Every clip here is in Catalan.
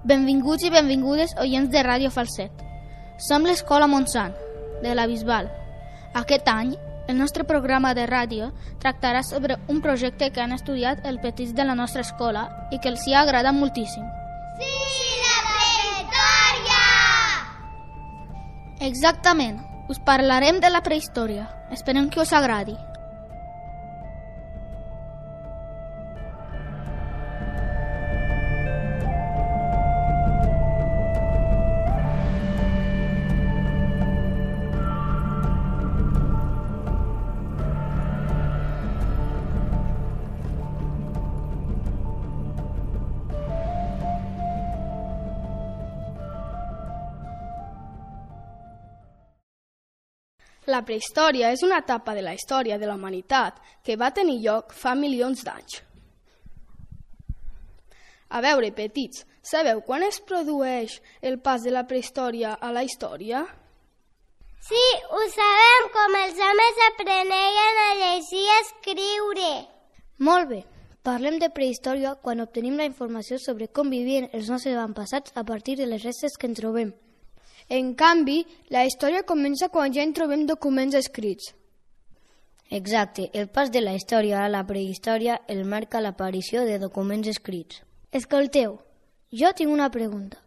Benvinguts i benvingudes oients de Ràdio Falset. Som l'Escola Montsant, de la Bisbal. Aquest any, el nostre programa de ràdio tractarà sobre un projecte que han estudiat els petits de la nostra escola i que els hi ha agradat moltíssim. Sí, la prehistòria! Exactament, us parlarem de la prehistòria. Esperem que us agradi. La prehistòria és una etapa de la història de la humanitat que va tenir lloc fa milions d'anys. A veure, petits, sabeu quan es produeix el pas de la prehistòria a la història? Sí, ho sabem, com els homes aprenien a llegir i escriure. Molt bé, parlem de prehistòria quan obtenim la informació sobre com vivien els nostres avantpassats a partir de les restes que en trobem. En canvi, la història comença quan ja en trobem documents escrits. Exacte, el pas de la història a la prehistòria el marca l'aparició de documents escrits. Escolteu, jo tinc una pregunta.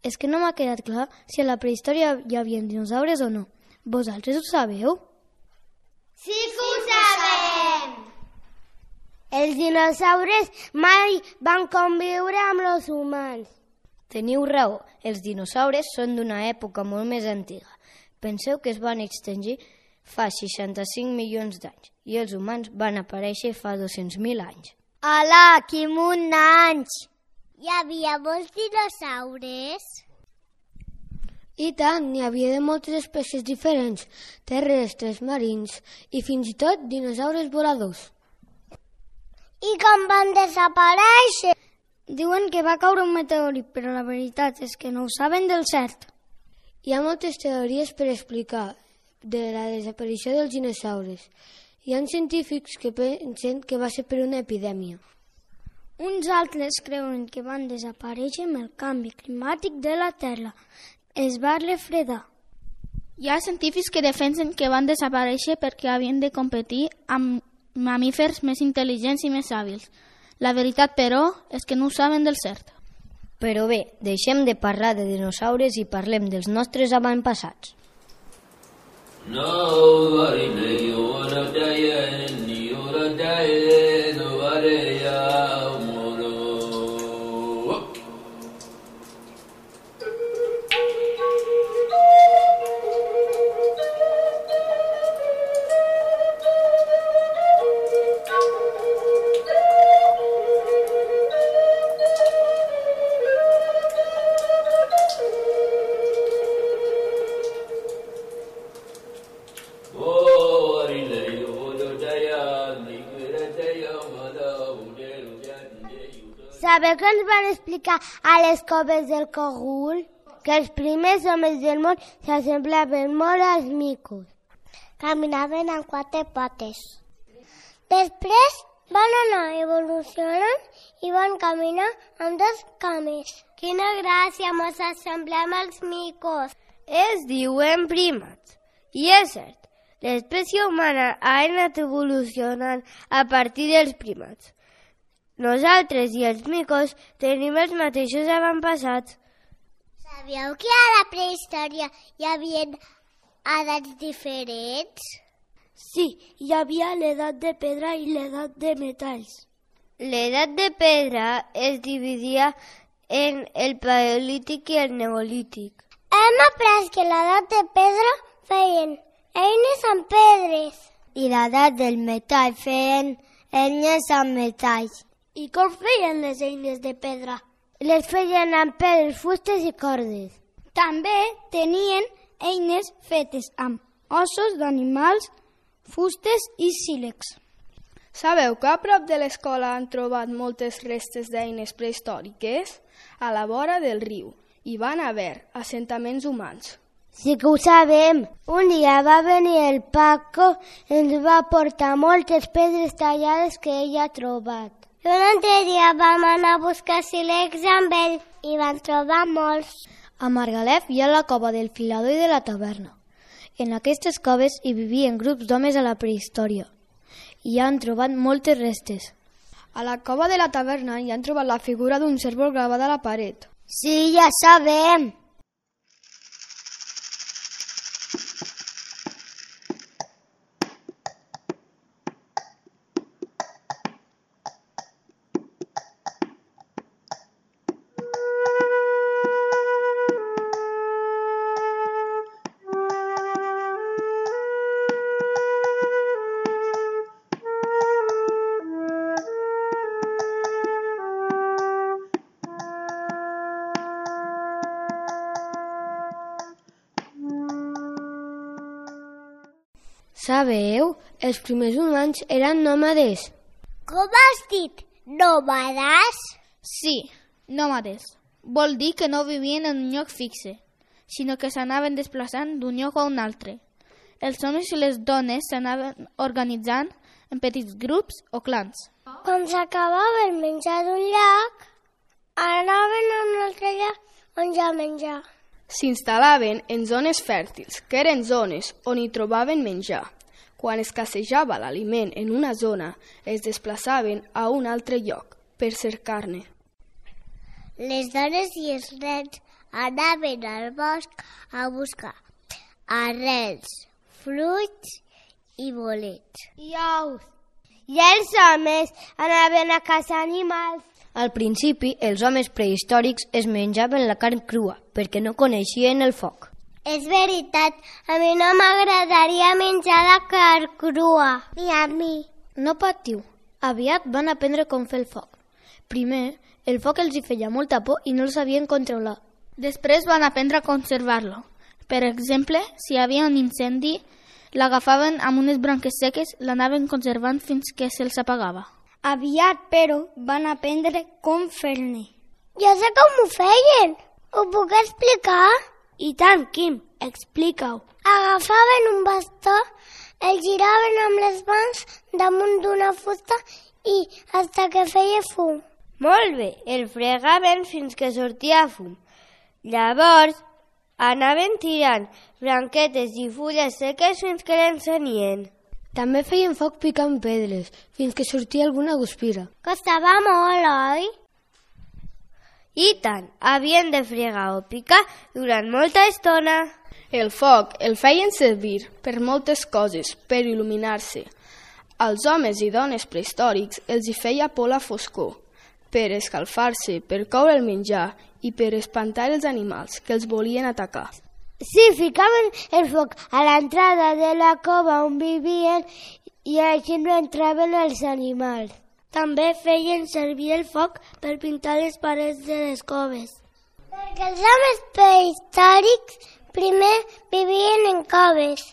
És que no m'ha quedat clar si a la prehistòria hi havia dinosaures o no. Vosaltres ho sabeu? Sí que ho sabem! Els dinosaures mai van conviure amb els humans. Teniu raó, els dinosaures són d'una època molt més antiga. Penseu que es van extingir fa 65 milions d'anys i els humans van aparèixer fa 200.000 anys. Hola, quin munt d'anys! Hi havia molts dinosaures? I tant, n'hi havia de moltes espècies diferents, terrestres, marins i fins i tot dinosaures voladors. I com van desaparèixer? Diuen que va caure un meteorit, però la veritat és que no ho saben del cert. Hi ha moltes teories per explicar de la desaparició dels dinosaures. Hi ha científics que pensen que va ser per una epidèmia. Uns altres creuen que van desaparèixer amb el canvi climàtic de la Terra. Es va refredar. Hi ha científics que defensen que van desaparèixer perquè havien de competir amb mamífers més intel·ligents i més hàbils. La veritat, però, és que no ho saben del cert. Però bé, deixem de parlar de dinosaures i parlem dels nostres avantpassats. Sabeu que ens van explicar a les coves del Cogul? Que els primers homes del món s'assemblaven molt als micos. Caminaven amb 4 potes. Després van anar evolucionant i van caminar amb 2 cames. Quina gràcia, mos assemblem als micos. Es diuen primats. I és cert, l'espècie humana ha anat evolucionant a partir dels primats. Nosaltres i els micos tenim els mateixos avantpassats. Sabíeu que a la prehistòria hi havia edats diferents? Sí, hi havia l'edat de pedra i l'edat de metalls. L'edat de pedra es dividia en el paleolític i el neolític. Hem après que l'edat de pedra feien eines amb pedres. I l'edat del metall feien eines amb metalls. I com feien les eines de pedra? Les feien amb pedres, fustes i cordes. També tenien eines fetes amb ossos d'animals, fustes i sílex. Sabeu que a prop de l'escola han trobat moltes restes d'eines prehistòriques? A la vora del riu hi van haver assentaments humans. Sí que ho sabem. Un dia va venir el Paco i ens va portar moltes pedres tallades que ell ha trobat. I un altre dia vam anar a buscar sílex amb ell i van trobar molts. A Margalef hi ha la cova del filador i de la taverna. En aquestes coves hi vivien grups d'homes a la prehistòria. Hi han trobat moltes restes. A la cova de la taverna hi han trobat la figura d'un cérvol gravada a la paret. Sí, ja sabem. Sabeu? Els primers humans eren nòmades. Com has dit? Nòmades? Sí, nòmades. Vol dir que no vivien en un lloc fixe, sinó que s'anaven desplaçant d'un lloc a un altre. Els homes i les dones s'anaven organitzant en petits grups o clans. Quan s'acabava el menjar d'un lloc, anaven a un altre lloc on ja menjar. S'instal·laven en zones fèrtils, que eren zones on hi trobaven menjar. Quan escassejava l'aliment en una zona, es desplaçaven a un altre lloc per cercar-ne. Les dones i els nens anaven al bosc a buscar arrels, fruits i bolets. I ous. I els homes anaven a caçar animals. Al principi, els homes prehistòrics es menjaven la carn crua perquè no coneixien el foc. És veritat, a mi no m'agradaria menjar la carn crua. Ni a mi. No patiu, aviat van aprendre com fer el foc. Primer, el foc els hi feia molta por i no el sabien controlar. Després van aprendre a conservar-lo. Per exemple, si hi havia un incendi, l'agafaven amb unes branques seques, l'anaven conservant fins que se'ls apagava. Aviat, però, van aprendre com fer-ne. Ja sé com ho feien. Ho puc explicar? I tant, Quim, explica-ho. Agafaven un bastó, el giraven amb les mans damunt d'una fusta i hasta que feia fum. Molt bé, el fregaven fins que sortia fum. Llavors, anaven tirant branquetes i fulles seques fins que l'encenien. També feien foc picant pedres, fins que sortia alguna guspira. Costava molt, oi? I tant, havien de fregar o picar durant molta estona. El foc el feien servir per moltes coses, per il·luminar-se. Als homes i dones prehistòrics els hi feia por la foscor, per escalfar-se, per coure el menjar i per espantar els animals que els volien atacar. Sí, ficaven el foc a l'entrada de la cova on vivien i així no entraven els animals. També feien servir el foc per pintar les parets de les coves. Perquè els homes prehistòrics primer vivien en coves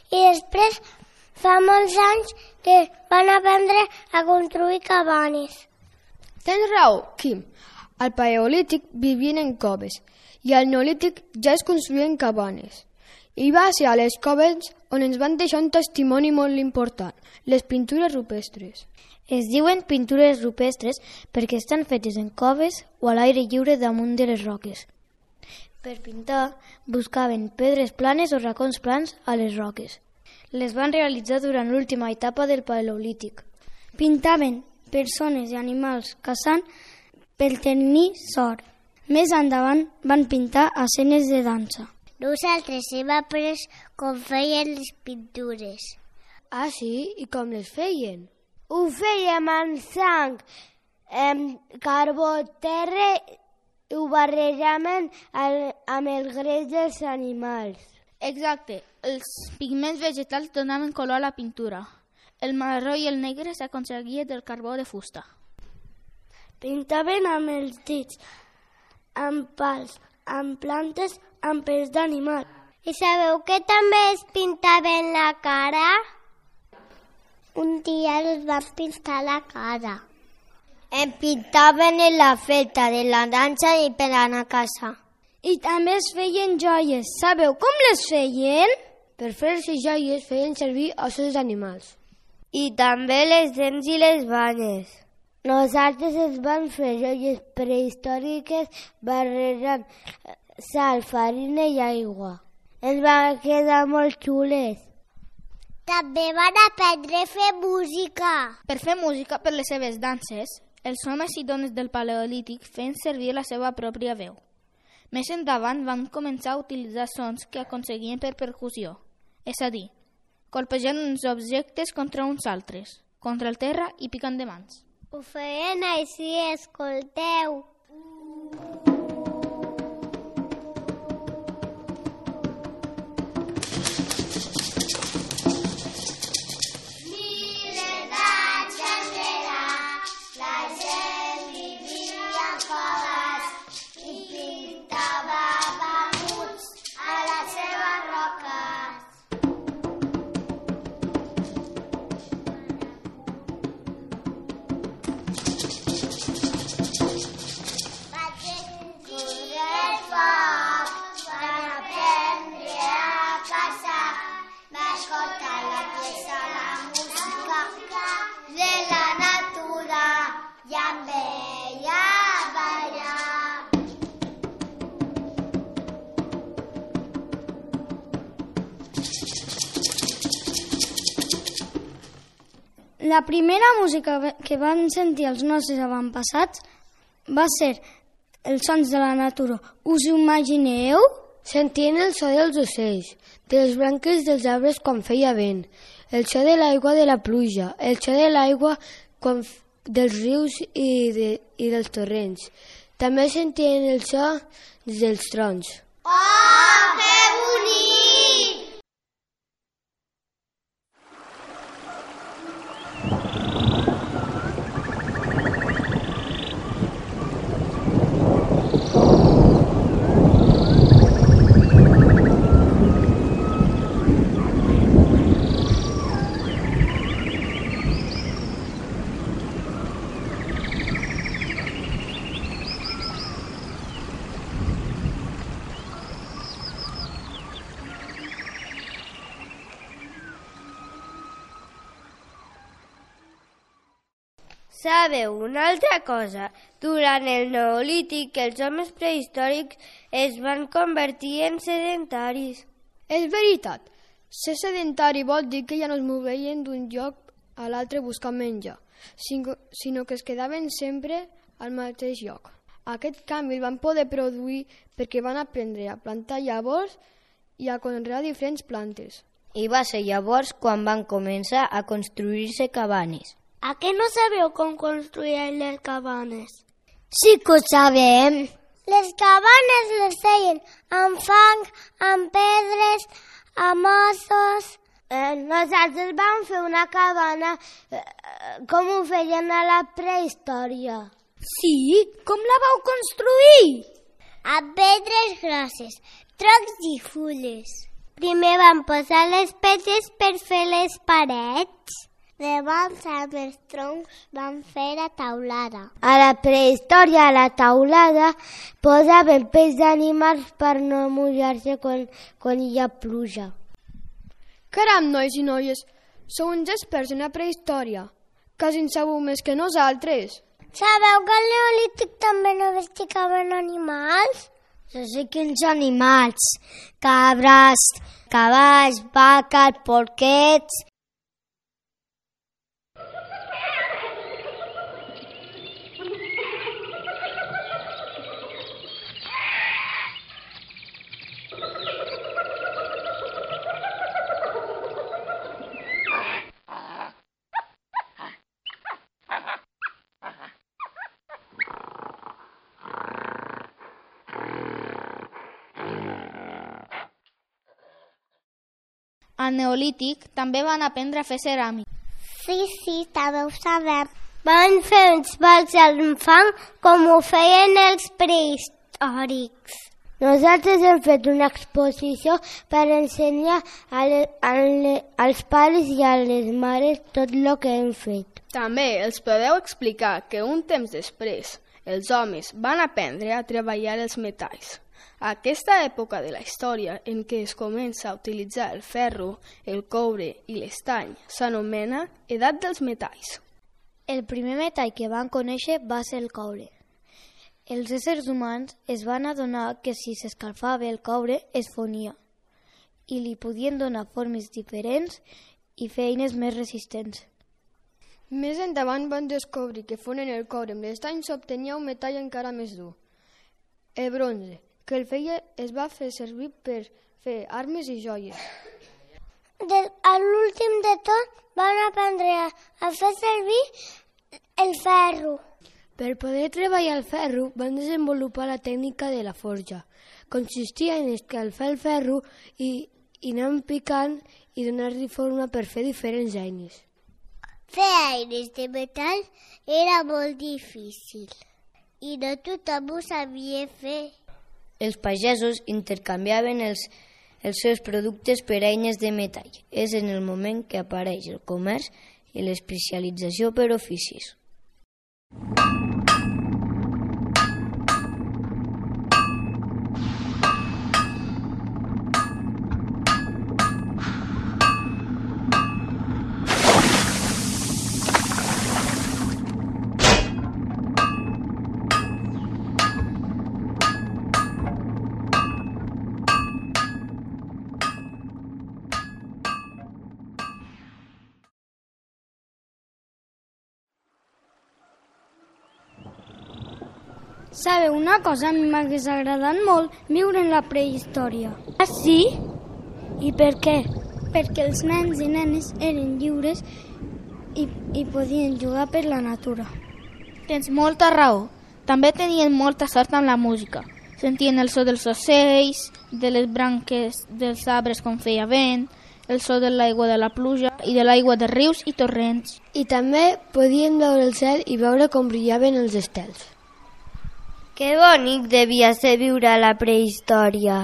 i després fa molts anys que van aprendre a construir cabanes. Tens raó, Quim. Al Paleolític vivien en coves i al Neolític ja es construïen cabanes. I va ser a les coves on ens van deixar un testimoni molt important, les pintures rupestres. Es diuen pintures rupestres perquè estan fetes en coves o a l'aire lliure damunt de les roques. Per pintar, buscaven pedres planes o racons plans a les roques. Les van realitzar durant l'última etapa del Paleolític. Pintaven persones i animals caçant per tenir sort. Més endavant van pintar escenes de dansa. Nosaltres hem après com feien les pintures. Ah, sí? I com les feien? Ho fèiem amb sang, carbó, terra, i ho barrejaven amb el greix dels animals. Exacte, els pigments vegetals donaven color a la pintura. El marró i el negre s'aconseguia del carbó de fusta. Pintaven amb els dits, amb pals, amb plantes, amb pels d'animal. I sabeu que també es pintaven la cara? Un dia els van pintar la cara. Em pintaven en la festa de la dansa i per anar a casa. I també es feien joies. Sabeu com les feien? Per fer-se joies feien servir ossos d'animals. I també les dents i les banyes. Nosaltres ens vam fer joies prehistòriques barrejant sal, farina i aigua. Ens van quedar molt xules. També van aprendre a fer música. Per fer música per les seves danses, els homes i dones del Paleolític feien servir la seva pròpia veu. Més endavant van començar a utilitzar sons que aconseguien per percussió, és a dir, colpejant uns objectes contra uns altres, contra el terra i picant de mans. Ho feien així, escolteu. La primera música que van sentir els nostres avantpassats va ser els sons de la natura. Us ho imagineu? Sentien el so dels ocells, de les branques dels arbres quan feia vent, el so de l'aigua de la pluja, el so de l'aigua dels rius i dels torrents. També sentien el so dels trons. Oh, que bonic! Sabeu una altra cosa? Durant el Neolític, els homes prehistòrics es van convertir en sedentaris. És veritat. Ser sedentari vol dir que ja no es moveien d'un lloc a l'altre buscant menjar, sinó que es quedaven sempre al mateix lloc. Aquest canvi el van poder produir perquè van aprendre a plantar llavors i a conrear diferents plantes. I va ser llavors quan van començar a construir-se cabanes. A què no sabeu com construïen les cabanes? Sí que ho sabem. Les cabanes les feien amb fang, amb pedres, amb ossos. Nosaltres vam fer una cabana com ho feien a la prehistòria. Sí? Com la vau construir? Amb pedres grosses, troncs i fulles. Primer vam posar les pedres per fer les parets. Llavors, amb els troncs van fer la taulada. A la prehistòria, a la taulada, posaven peix d'animals per no mullar-se quan hi ha pluja. Caram, nois i noies, sou uns experts en la prehistòria. Quasi en sabeu més que nosaltres. Sabeu que al Neolític també no domesticaven animals? Jo sé quins animals. Cabres, cavalls, vaques, porquets. Al Neolític també van aprendre a fer ceràmica. Sí, també ho sabem. Van fer uns balls amb fang com ho feien els prehistòrics. Nosaltres hem fet una exposició per ensenyar als pares i a les mares tot el que hem fet. També els podeu explicar que un temps després els homes van aprendre a treballar els metalls. Aquesta època de la història en què es comença a utilitzar el ferro, el coure i l'estany s'anomena Edat dels Metalls. El primer metall que van conèixer va ser el coure. Els éssers humans es van adonar que si s'escalfava el coure es fonia i li podien donar formes diferents i fer eines més resistents. Més endavant van descobrir que fonent el coure amb l'estany s'obtenia un metall encara més dur, el bronze, que el feia es va fer servir per fer armes i joies. A l'últim de tot van aprendre a fer servir el ferro. Per poder treballar el ferro van desenvolupar la tècnica de la forja. Consistia en escalfar el ferro i anar picant i donar-li forma per fer diferents eines. Fer eines de metall era molt difícil i no tothom ho sabia fer. Els pagesos intercanviaven els seus productes per eines de metall. És en el moment que apareix el comerç i l'especialització per oficis. Sabeu una cosa? A mi m'hagués agradat molt viure en la prehistòria. Ah, sí? I per què? Perquè els nens i nenes eren lliures i podien jugar per la natura. Tens molta raó. També tenien molta sort amb la música. Sentien el so dels ocells, de les branques dels arbres quan feia vent, el so de l'aigua de la pluja i de l'aigua de rius i torrents. I també podien veure el cel i veure com brillaven els estels. Que bonic devia ser viure a la prehistòria.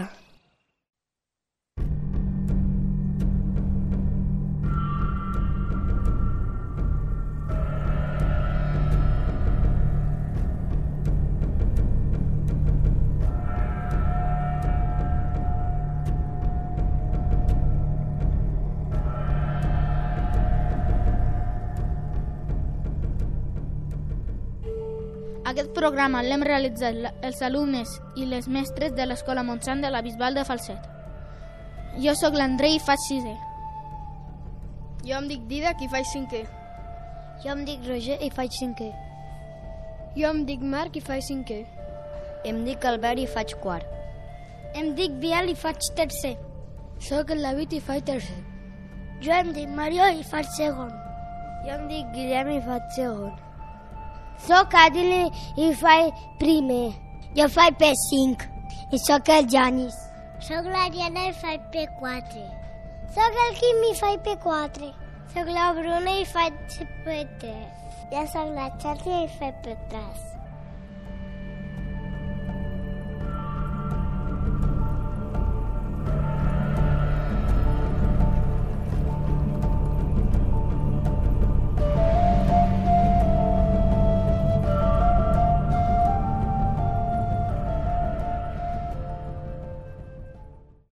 Aquest programa l'hem realitzat els alumnes i les mestres de l'Escola Montsant de la Bisbal de Falset. Jo sóc l'Andrei i faig 6è. Jo em dic Didac i faig 5è. Jo em dic Roger i faig 5è. Jo em dic Marc i faig 5è. Em dic Albert i faig 4. Em dic Biel i faig 3è. Soc el David i faig 3è. Jo em dic Mario i faig 2è. Jo em dic Guillem i faig 2è. Soc Adil i faig 1è. Jo faig P5 i soc el Janis. Soc l'Ariana i faig P4. Soc el Quim i faig P4. Soc la Bruna i faig P3. Jo soc la Xàtia i faig P3.